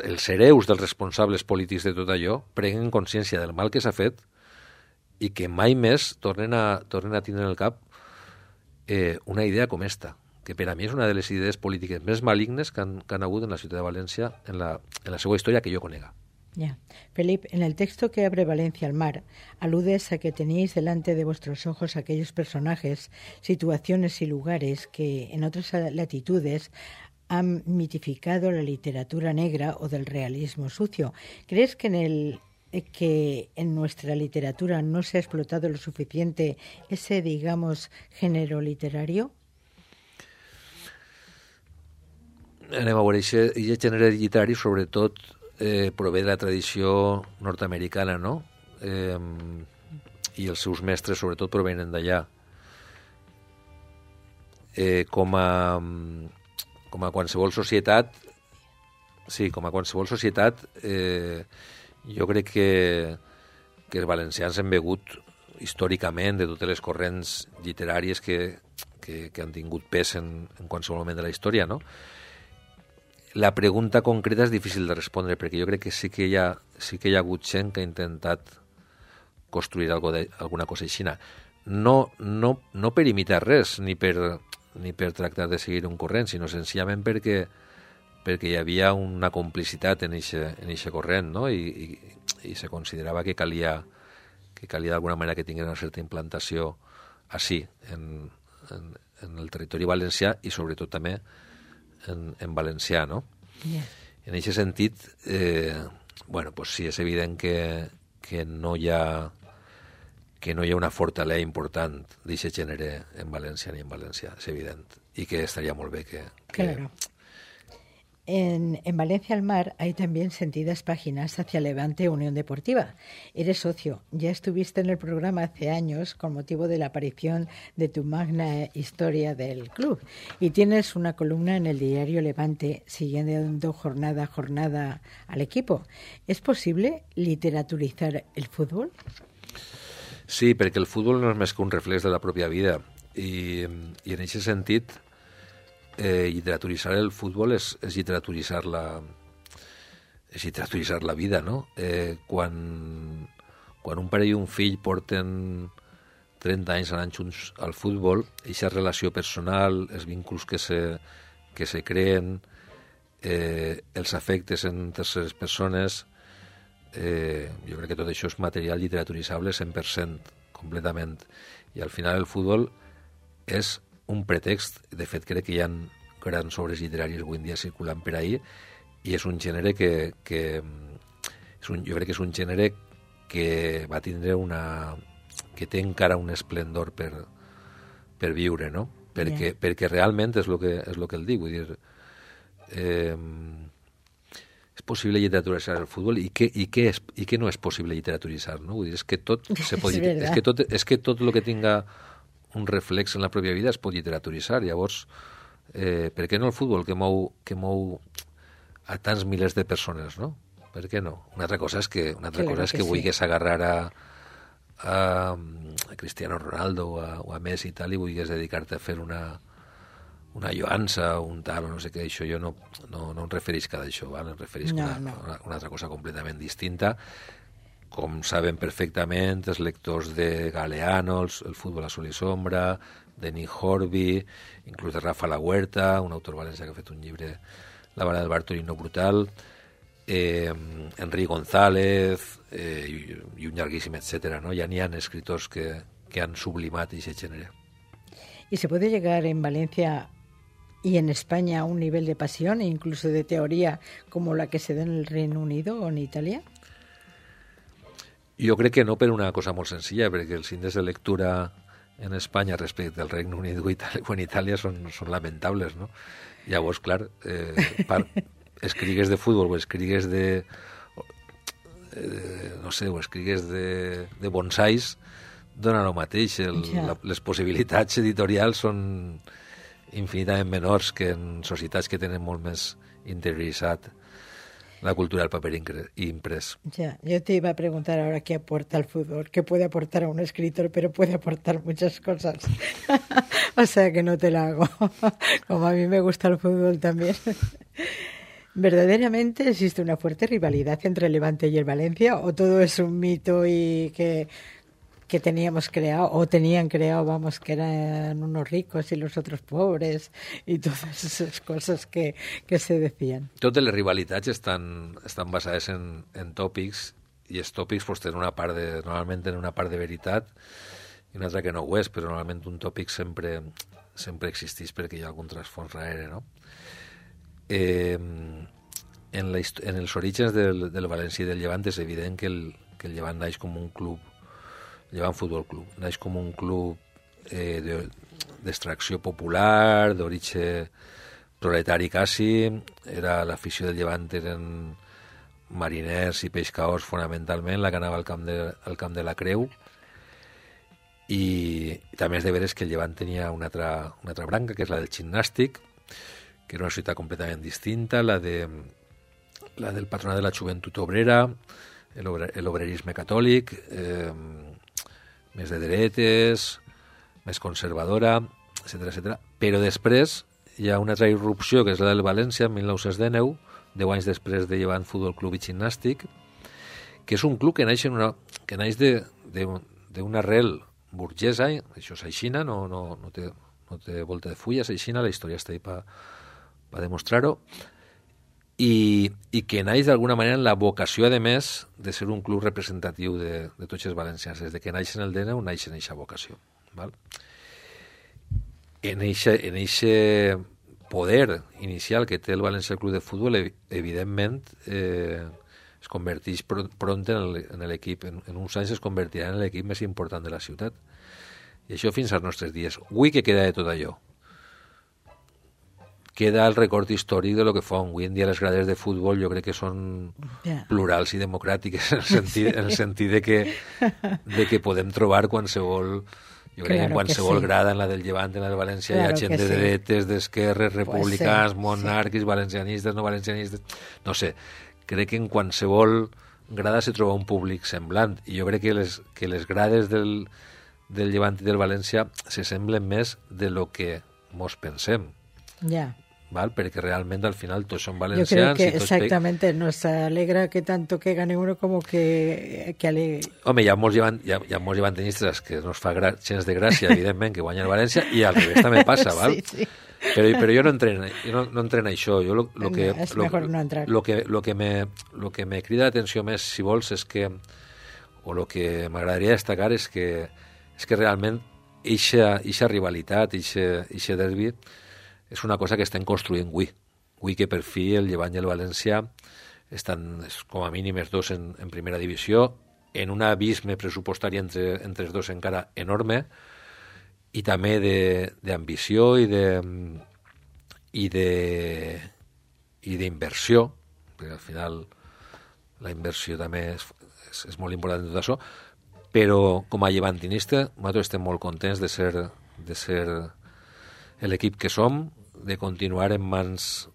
els hereus dels responsables polítics de tot allò prenguin consciència del mal que s'ha fet i que mai més tornen a tindre en el cap una idea com esta, que per a mi és una de les idees polítiques més malignes que han hagut en la ciutat de València en la seva història que jo conega. Ya. Felipe, en el texto que abre Valencia al mar, aludes a que teníais delante de vuestros ojos aquellos personajes, situaciones y lugares que en otras latitudes han mitificado la literatura negra o del realismo sucio. ¿Crees que en nuestra literatura no se ha explotado lo suficiente ese, digamos, género literario? Anem a veure, aquest gènere literari sobretot prové de la tradició nord-americana, no? I els seus mestres sobretot provenen d'allà. Com a qualsevol societat, jo crec que els valencians han begut històricament de totes les corrents literàries que han tingut pes en qualsevol moment de la història, no? La pregunta concreta és difícil de respondre, perquè jo crec que sí que hi ha hagut gent que ha intentat construir alguna cosa així. No per imitar res, ni per tractar de seguir un corrent, sinó senzillament perquè hi havia una complicitat en eixe corrent, no? I se considerava que calia d'alguna manera que tingués una certa implantació així, en el territori valencià i sobretot també en valencià, no? Yeah. En aquest sentit, pues sí, és evident que no hi ha una fortalesa important d'aquest gènere en València ni en València, és evident, i que estaria molt bé que... Claro. En Valencia al Mar hay también sentidas páginas hacia Levante Unión Deportiva. Eres socio, ya estuviste en el programa hace años con motivo de la aparición de tu magna historia del club y tienes una columna en el diario Levante siguiendo jornada a jornada al equipo. ¿Es posible literaturizar el fútbol? Sí, perquè el futbol no és més que un reflex de la pròpia vida i en aquest sentit literaturitzar el futbol és literaturitzar la vida, no? Quan un pare i un fill porten 30 anys anant junts al futbol, aquesta relació personal, els vínculs que se creen, els afectes entre les persones, jo crec que tot això és material literaturitzable 100%, completament. I al final el futbol és un pretext. De fet, crec que hi ha grans obres literàries avui en dia circulant per ahir, i és un gènere jo crec que és un gènere que va tindre que té encara un esplendor per viure, no? Perquè realment és el que el dic, vull dir, és possible literaturitzar el futbol i què no és possible literaturitzar, no? Vull dir, és que tot el que tinga un reflex en la pròpia vida es pot literaturitzar. Llavors, per què no el futbol que mou a tants milers de persones, no? Per què no? Una altra cosa és que vulguis agarrar a Cristiano Ronaldo o a Messi i tal, i vulguis dedicar-te a fer una lloança o un tal, o no sé què. Això jo no em referisc a això, val? Em referisc a una altra cosa completament distinta. Com saben perfectament els lectors de Galeano, el futbol a sol i sombra, de Nick Horby, inclús de Rafa La Huerta, un autor valencià que ha fet un llibre, La vara del Bartolino brutal, Enrique González, i un llarguíssim, etcétera, ¿no? Ya n'hi ha escritors que han sublimat aquest gènere. ¿Y se puede llegar en Valencia y en España a un nivel de pasión e incluso de teoría como la que se da en el Reino Unido o en Italia? Jo crec que no, per una cosa molt senzilla, perquè els índexs de lectura en Espanya respecte al Regne Unit o en Itàlia són lamentables, no? Llavors, clar, escrigues de futbol o escrigues no sé, o escrigues de bonsais, dona el mateix. Les possibilitats editorials són infinitament menors que en societats que tenen molt més interioritzat la cultura del paper imprès. Ya, yo te iba a preguntar ahora qué aporta el fútbol, qué puede aportar a un escritor, pero puede aportar muchas cosas. O sea que no te la hago. Como a mí me gusta el fútbol también. ¿Verdaderamente existe una fuerte rivalidad entre el Levante y el Valencia, o todo es un mito y que teníamos creado, o tenían creado, vamos, que eran unos ricos y los otros pobres, y todas esas cosas que se decían? Totes les rivalitats estan basades en tòpics, i els tòpics pues, tenen normalment tenen una part de veritat i una altra que no ho és, però normalment un tòpic sempre existeix perquè hi ha algun trasfons darrere, no? En els orígens del València i del Llevant és evident que el Llevant naix com un club, Llevant Futbol Club, naix com un club d'extracció popular, d'origen proletari quasi. L'afició del Llevant eren mariners i pescadors fonamentalment, la que anava al camp de la Creu, i també és de veres que el Llevant tenia una altra branca, que és la del gimnàstic, que era una ciutat completament distinta, la del patronat de la joventut obrera, l'obrerisme catòlic, més de dretes, més conservadora, etc. Però després hi ha una altra irrupció, que és la del València, en 1919, 10 anys després de Llevant Futbol Club i Gimnàstic, que és un club que naix d'una arrel burgesa, això és aixina, no té volta de fulla, és aixina, la història està ahí per demostrar-ho, i que naix d'alguna manera en la vocació, a més, de ser un club representatiu de tots els valencians. Des que naixen el DNU, naixen en aquesta vocació. Val? En aquest poder inicial que té el València Club de Futbol, evidentment, es converteix pront en l'equip. En uns anys es convertirà en l'equip més important de la ciutat. I això fins als nostres dies. Avui què queda de tot allò? Queda el record històric de lo que fa. Avui en dia les grades de futbol jo crec que són plurals i democràtiques, en el sentit de que podem trobar qualsevol... Jo crec que en qualsevol grada, en la del Llevant, en la del València, hi ha gent de dretes, d'esquerres, republicans, monàrquics, valencianistes, no valencianistes... No sé, crec que en qualsevol grada se troba un públic semblant, i jo crec que les grades del Llevant i del València se semblen més de lo que mos pensem. Ya. ¿vale? Perquè realment al final tots són Yo valencians. creo que exactamente nos alegra que tanto que gane uno como que Home, hi ha molts llevantinistes que no es fa gens de gràcia, evidentment, que guanyen el València, i al revés també passa, val? Sí, sí. Però jo no entreno això. Jo Es mejor no entrar. lo que me crida l'atenció més, si vols, és que, o lo que m'agradaria destacar és que realment eixa rivalitat, eixe derbi, és una cosa que estem construint avui. Avui que per fi el Llevant i el València estan com a mínim els dos en primera divisió, en un abisme pressupostari entre els dos encara enorme, i també d'ambició i d'inversió, perquè al final la inversió també és molt important en tot això, però com a llevantinista nosaltres estem molt contents de ser l'equip que som, de continuar en mans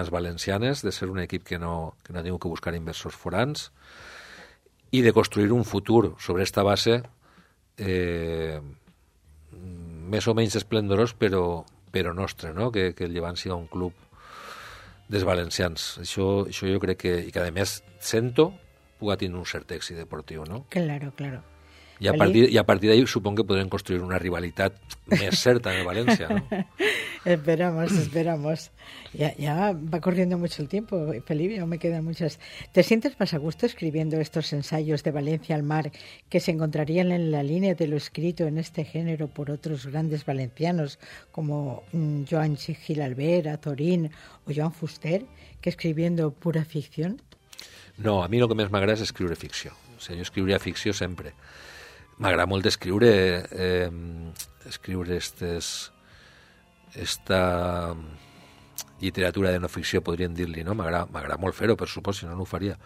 valencianes, de ser un equip que no ha tingut que buscar inversors forans i de construir un futur sobre esta base més o menys esplendorós, però nostre, no? Que el Llevant siga un club dels valencians. Això jo crec que, i que a més sento, puga tindre un cert èxit deportiu, no? Claro. I a partir d'ahí supongo que podrem construir una rivalitat més certa en el València, ¿no? Esperamos. Ya va corriendo mucho el tiempo, Felipe, aún me quedan muchas. ¿Te sientes más a gusto escribiendo estos ensayos de Valencia al mar que se encontrarían en la línea de lo escrito en este género por otros grandes valencianos como Joan Gil Albert, Azorín o Joan Fuster, que escribiendo pura ficción? No, a mi el que més m'agrada és escriure ficció. O sigui, jo escriuria ficció sempre. M'agrada molt escriure esta literatura de no ficció, podríem dir-li, no? M'agrada molt fer-ho, per supost, si no, no ho faria.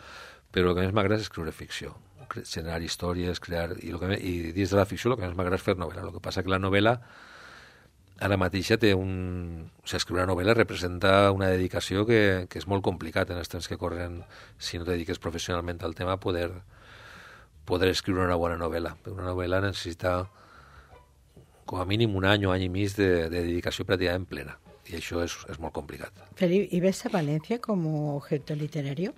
Però el que més m'agrada és escriure ficció, generar històries, crear... I dins de la ficció el que més m'agrada és fer novel·la. El que passa que la novel·la ara mateixa té O sigui, escriure una novel·la representa una dedicació que és molt complicat en els temps que corren, si no te dediques professionalment al tema, poder escriure una bona novel·la. Una novel·la necessita com a mínim un any o any i mig de dedicació pràcticament plena. I això és molt complicat. Felipe, ¿y ves a Valencia como objeto literario?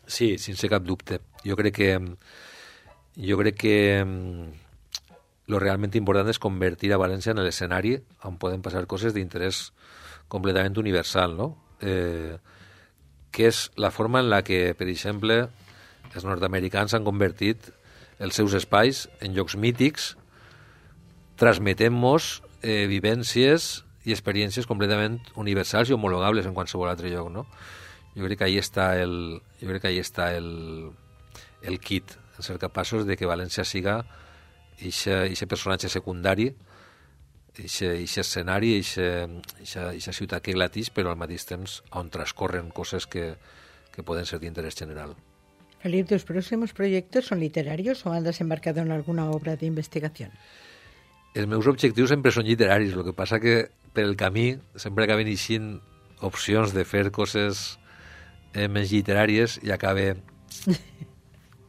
Sí, sense cap dubte. Jo crec que lo realment important és convertir a València en l'escenari on poden passar coses d'interès completament universal, no? Que és la forma en la que, per exemple, els nord-americans han convertit els seus espais en llocs mítics, transmetent-nos vivències i experiències completament universals i homologables en qualsevol altre lloc, no? Jo crec que ahí està el kit, en ser capaços de que València siga eixe personatge secundari, eixe escenari, eixa ciutat que glatix, però al mateix temps on transcorren coses que poden ser d'interès general. Felipe, ¿tus próximos proyectos son literarios o andas embarcado en alguna obra de investigación? Els meus objectius sempre són literaris, el que passa que per el camí sempre acaben eixint opcions de fer coses menys literàries i acabe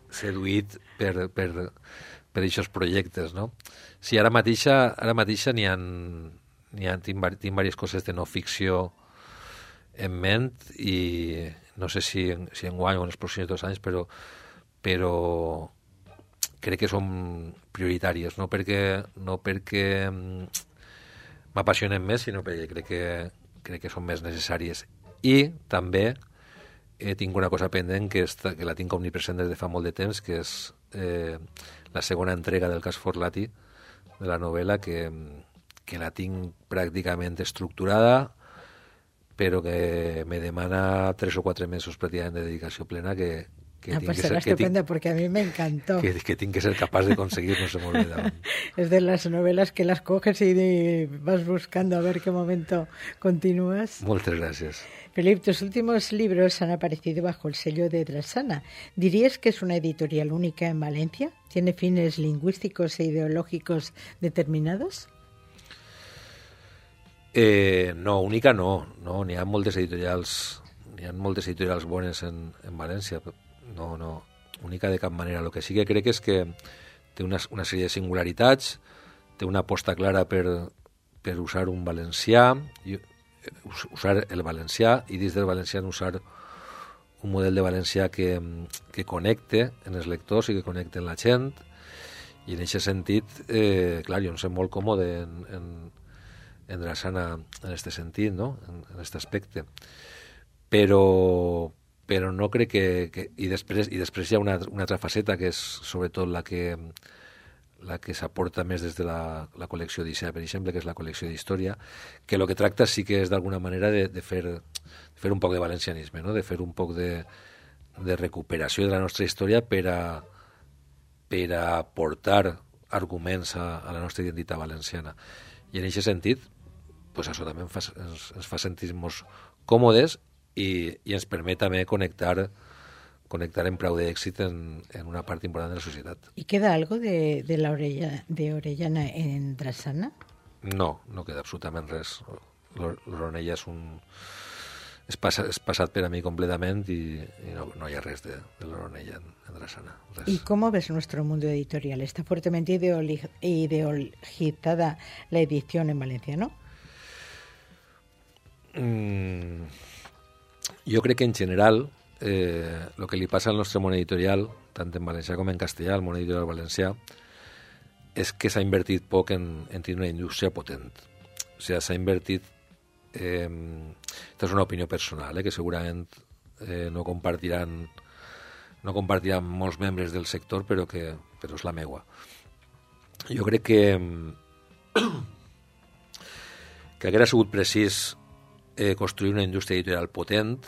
seduït per aquests projectes, no? Sí, ara mateixa tinc diverses coses de no ficció en ment i no sé si enguany o en els pròxims 2 anys, però crec que són prioritàries, no perquè m'apassionen més, sinó perquè crec que són més necessàries. I també tinc una cosa pendent que la tinc omnipresent des de fa molt de temps, que és la segona entrega del cas Forlati, de la novel·la, que la tinc pràcticament estructurada, però que me demana 3 o 4 mesos pràcticament de dedicació plena que pues será estupenda porque a mí me encantó. Que tinc que ser capaç de conseguir, no se m'olvida. Es de las novelas que las coges y vas buscando a ver qué momento continúas. Moltes gràcies. Felipe, tus últimos libros han aparecido bajo el sello de Drassana. ¿Dirías que es una editorial única en Valencia? ¿Tiene fines lingüísticos e ideológicos determinados? No, única no. N'hi ha moltes editorials bones en València. No, única de cap manera. El que sí que crec és que té una sèrie de singularitats, té una aposta clara per per usar un valencià, usar el valencià i dins del valencià usar un model de valencià que connecte en els lectors i que connecte en la gent, i en aquest sentit, clar, jo em sent molt còmode en Drassana en aquest sentit, no? En aquest aspecte. Però no crec que i després hi ha una altra faceta que és sobretot la que s'aporta més des de la col·lecció d'Issea, per exemple, que és la col·lecció d'història, que el que tracta sí que és d'alguna manera de fer un poc de valencianisme, no? De fer un poc de recuperació de la nostra història per a aportar arguments a la nostra identitat valenciana. I en aquest sentit, pues això també ens fa sentir-nos còmodes i ens permet també connectar en prou d'èxit en una part important de la societat. ¿Y queda algo de la Orellana en Drassana? No queda absolutament res. L'Oronella és passat per a mi completament i no hi ha res de l'Oronella en Drassana. Res. ¿Y cómo ves nuestro mundo editorial? ¿Está fuertemente ideologizada la edición en valenciano? Jo crec que en general el que li passa al nostre món editorial, tant en valencià com en castellà, el món editorial valencià, és que s'ha invertit poc en tenir una indústria potent. O sigui, s'ha invertit... Aquesta és una opinió personal, que segurament no compartiran molts membres del sector, però és la meua. Jo crec que hauria sigut precís construir una indústria editorial potent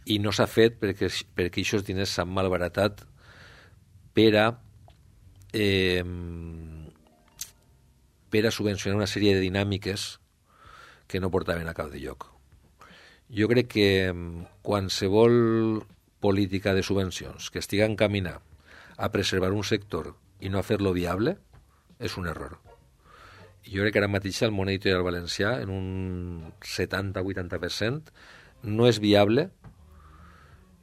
i no s'ha fet perquè aquests diners s'han malbaratat per a subvencionar una sèrie de dinàmiques que no portaven a cap de lloc. Jo crec que qualsevol política de subvencions que estigui encaminada a preservar un sector i no a fer-lo viable és un error. Jo crec que ara mateix el món editorial valencià en un 70-80% no és viable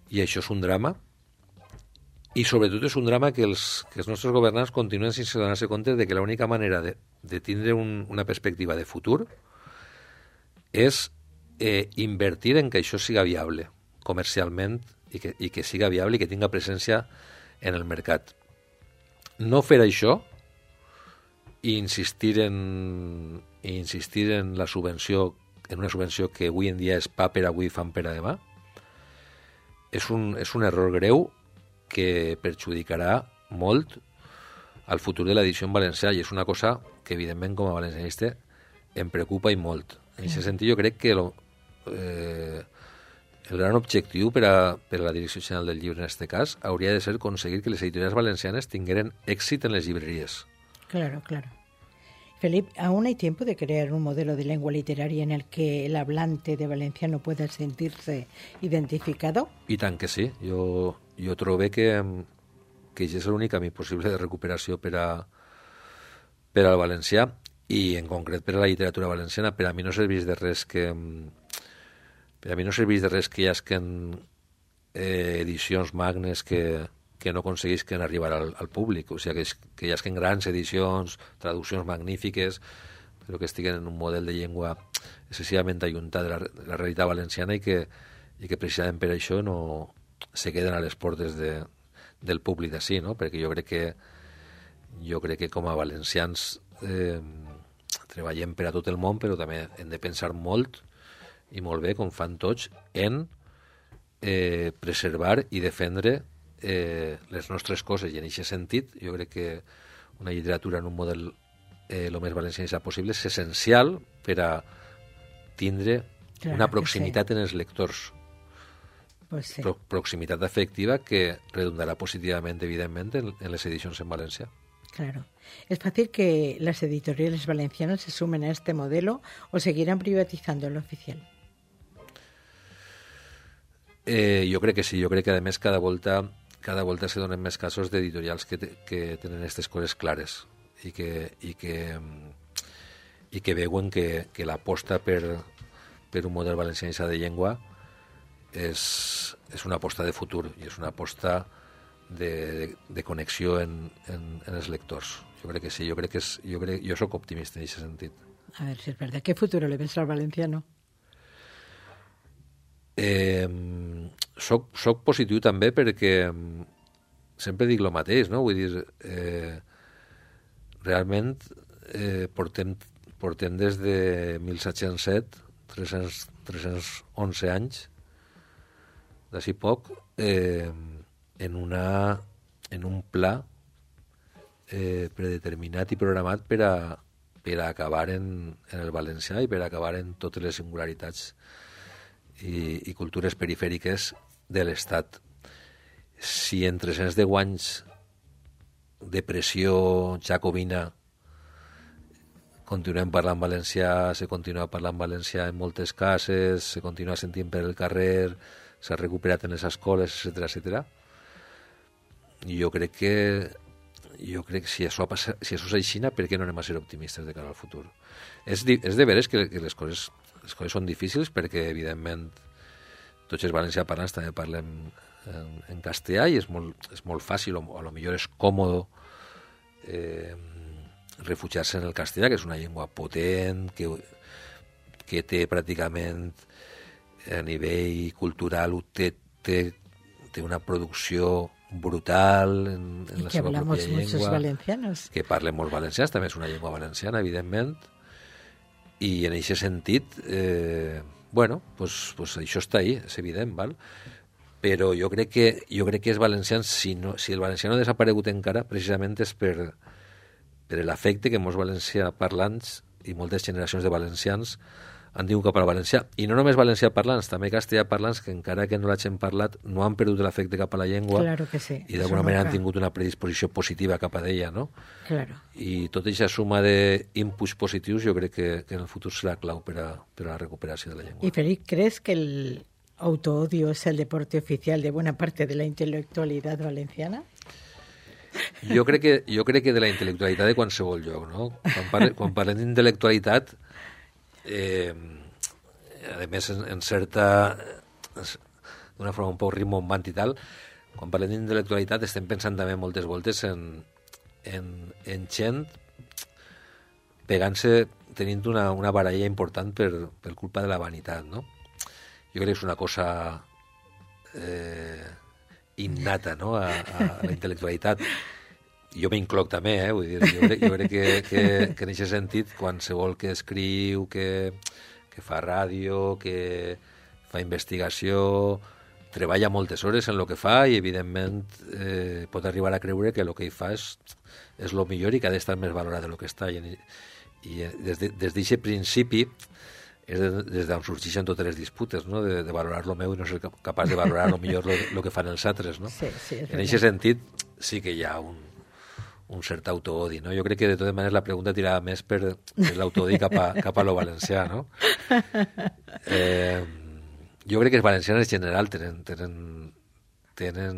i això és un drama i sobretot és un drama que els nostres governants continuen sense donar-se compte de que l'única manera de tindre una perspectiva de futur és invertir en que això siga viable comercialment i que siga viable i que tinga presència en el mercat. No fer això i insistir en la subvenció, en una subvenció que avui en dia és pa per avui, fam per a demà, és un error greu que perjudicarà molt al futur de l'edició en valencià i és una cosa que, evidentment, com a valencianista em preocupa i molt. En aquest sentit, jo crec que el gran objectiu per a la Direcció General del Llibre, en aquest cas, hauria de ser aconseguir que les editorials valencianes tingueren èxit en les llibreries. Claro. Felipe, ¿aún hay tiempo de crear un modelo de lengua literaria en el que el hablante de valenciano pueda sentirse identificado? I tant que sí. Jo trobo que és l'únic camí possible de recuperació per al valencià i, en concret, per a la literatura valenciana. Per a mi no serveix de res que hi hagin edicions magnes que no aconseguisquen arribar al públic, o sigui, que hi hagin grans edicions, traduccions magnífiques, però que estiguen en un model de llengua excessivament alluntat de la realitat valenciana i que precisament per això no se queden a les portes del públic d'ací, no? Perquè jo crec que com a valencians treballem per a tot el món, però també hem de pensar molt i molt bé, com fan tots, en preservar i defendre les nostres coses, i en aquest sentit jo crec que una literatura en un model el més valencianista possible és essencial per a tindre una proximitat en els lectors, Pues sí. Proximitat afectiva que redundarà positivament, evidentment, en les edicions en valencià. Claro. ¿Es fácil que las editoriales valencianas se sumen a este modelo o seguirán privatizando lo oficial? Jo crec que sí, jo crec que a més cada volta se donen més casos d'editorials que tenen aquestes coses clares i que veuen que l'aposta per un model valencianista de llengua és una aposta de futur i és una aposta de connexió en els lectors. Jo crec que sí, jo soc optimista en aquest sentit. A ver si es verdad. ¿Qué futuro le ves al valenciano? Soc positiu també perquè sempre dic el mateix, no? Vull dir, realment portem des de 1707, 311 anys, d'ací poc, en un pla predeterminat i programat per a acabar en el valencià i per a acabar en totes les singularitats i cultures perifèriques de l'Estat. Si en 310 anys de pressió jacobina continuem parlant valencià, se continua parlant valencià en moltes cases, se continua sentint per el carrer, s'ha recuperat en les escoles, etc. Jo crec que si això és així, per què no anem a ser optimistes de cara al futur? És de veres que les coses són difícils perquè, evidentment, tots els valencià parlants també parlem en castellà i és molt fàcil, o a lo millor és còmode refugiar-se en el castellà, que és una llengua potent, que té pràcticament a nivell cultural té una producció brutal en la seva pròpia llengua, que parlen molts valencians, també és una llengua valenciana, evidentment, i en aquest sentit, pues això està ahí, és evident, val? Però jo crec que els valencians, si el valencià no ha desaparegut encara, precisament és per l'afecte que molts valencià parlants i moltes generacions de valencians han tingut cap al valencià. I no només valencià parlants, també castellà parlants, que encara que no l'hagin parlat, no han perdut l'afecte cap a la llengua. Claro que sí. I d'alguna manera han tingut una predisposició positiva cap a ella, no? Claro. I tota aquesta suma d'inputs positius jo crec que en el futur serà clau per a la recuperació de la llengua. Y Félix, ¿crees que el autoodio es el deporte oficial de buena parte de la intelectualidad valenciana? Jo crec que de la intel·lectualitat de qualsevol lloc, no? Quan parlem d'intel·lectualitat, a més en certa, d'una forma un poc rimbombant i tal, quan parlem d'intel·lectualitat estem pensant també moltes voltes en gent pegant-se, tenint una baralla important per culpa de la vanitat, no? Jo crec que és una cosa innata, no?, a la intel·lectualitat. Jo m'incloc també, vull dir, jo crec que en aquest sentit, qualsevol que escriu, que fa ràdio, que fa investigació, treballa moltes hores en el que fa i, evidentment, pot arribar a creure que el que ell fa és el millor i que ha d'estar més valorat del que està. I des d'aquest principi és des d'on sorgeixen totes les disputes, no?, de valorar lo meu i no ser capaç de valorar lo millor el que fan els altres, no? Sí, en aquest sentit sí que hi ha un cert autoodi, no? Jo crec que de totes maneres la pregunta tirava més per l'autoodi cap a lo valencià, no? Jo crec que els valencians en general tenen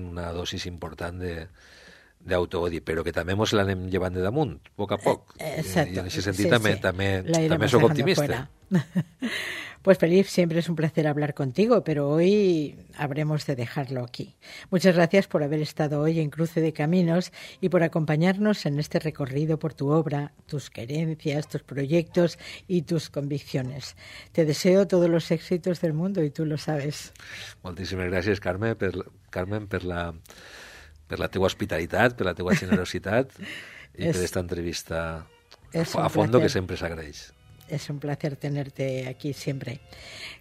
una dosis important d'autoodi, però que també ens l'anem llevant de damunt, a poc a poc. Exacto. Y en ese sentido también soy optimista. Pues Felipe, siempre es un placer hablar contigo, pero hoy habremos de dejarlo aquí. Muchas gracias por haber estado hoy en Cruce de Caminos y por acompañarnos en este recorrido por tu obra, tus querencias, tus proyectos y tus convicciones. Te deseo todos los éxitos del mundo y tú lo sabes. Moltíssimes gràcies, Carmen, per la teva hospitalitat, per la teva generositat i per esta entrevista a fondo que siempre se agradece. Es un placer tenerte aquí siempre.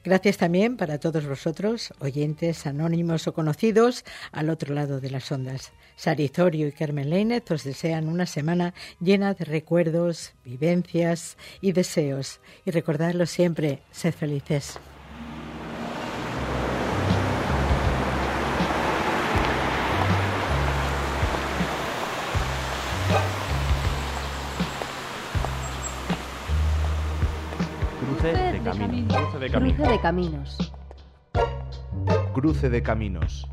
Gracias también para todos vosotros, oyentes, anónimos o conocidos, al otro lado de las ondas. Sari Zorio y Carmen Leinez os desean una semana llena de recuerdos, vivencias y deseos. Y recordadlo siempre, sed felices. Cruce de caminos. Cruce de caminos. Cruce de caminos.